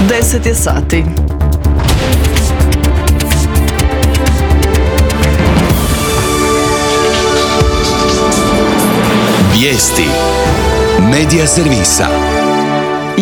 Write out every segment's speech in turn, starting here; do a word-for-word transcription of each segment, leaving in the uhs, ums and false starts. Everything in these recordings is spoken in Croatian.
deset je sati. Vijesti Medija servisa.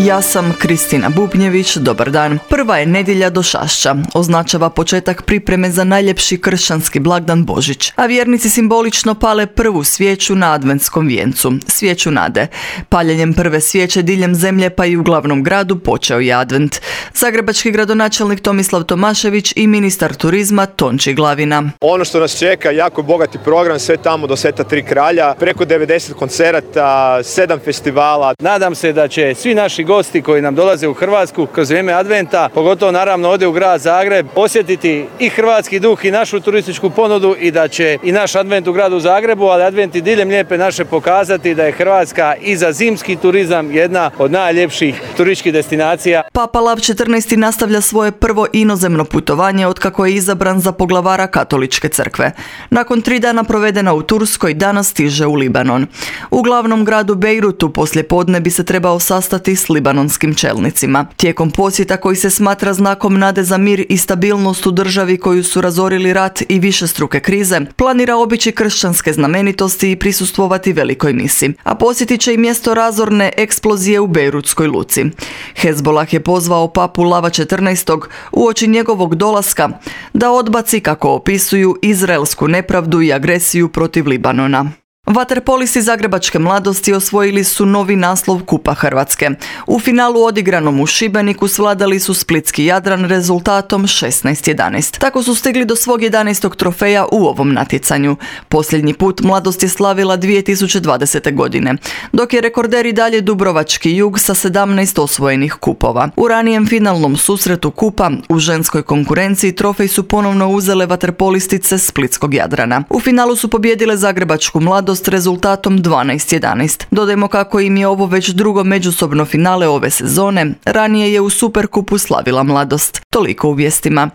Ja sam Kristina Bubnjević, dobar dan. Prva je nedjelja došašća, označava početak pripreme za najljepši kršćanski blagdan Božić, a vjernici simbolično pale prvu svijeću na adventskom vijencu, svijeću nade. Paljenjem prve svijeće diljem zemlje pa i u glavnom gradu počeo je advent. Zagrebački gradonačelnik Tomislav Tomašević i ministar turizma Tonči Glavina. Ono što nas čeka, jako bogati program, sve tamo do Sveta Tri kralja, preko devedeset koncerata, sedam festivala. Nadam se da će svi naši gosti koji nam dolaze u Hrvatsku kroz vrijeme adventa, pogotovo naravno ovdje u grad Zagreb, osjetiti i hrvatski duh i našu turističku ponudu i da će i naš advent u gradu Zagrebu, ali advent i diljem Lijepe naše pokazati da je Hrvatska i za zimski turizam jedna od najljepših turističkih destinacija. Papa Lav četrnaesti nastavlja svoje prvo inozemno putovanje otkako je izabran za poglavara Katoličke crkve. Nakon tri dana provedena u Turskoj, danas stiže u Libanon. U glavnom gradu Bejrutu poslijepodne bi se trebao sastati s libanonskim čelnicima. Tijekom posjeta koji se smatra znakom nade za mir i stabilnost u državi koju su razorili rat i višestruke krize, planira obići kršćanske znamenitosti i prisustvovati velikoj misi. A posjetit će i mjesto razorne eksplozije u Bejrutskoj luci. Hezbolah je pozvao papu Lava četrnaestog uoči njegovog dolaska da odbaci, kako opisuju, izraelsku nepravdu i agresiju protiv Libanona. Vaterpolisti zagrebačke mladosti osvojili su novi naslov Kupa Hrvatske. U finalu odigranom u Šibeniku svladali su splitski Jadran rezultatom šesnaest jedanaest. Tako su stigli do svog jedanaestog trofeja u ovom natjecanju. Posljednji put mladost je slavila dvije tisuće dvadesete. godine, dok je rekorder i dalje Dubrovački Jug sa sedamnaest osvojenih kupova. U ranijem finalnom susretu Kupa u ženskoj konkurenciji trofej su ponovno uzele vaterpolistice splitskog Jadrana. U finalu su pobijedile zagrebačku mladost s rezultatom dvanaest jedanaest. Dodajmo kako im je ovo već drugo međusobno finale ove sezone, ranije je u Superkupu slavila mladost. Toliko u vijestima.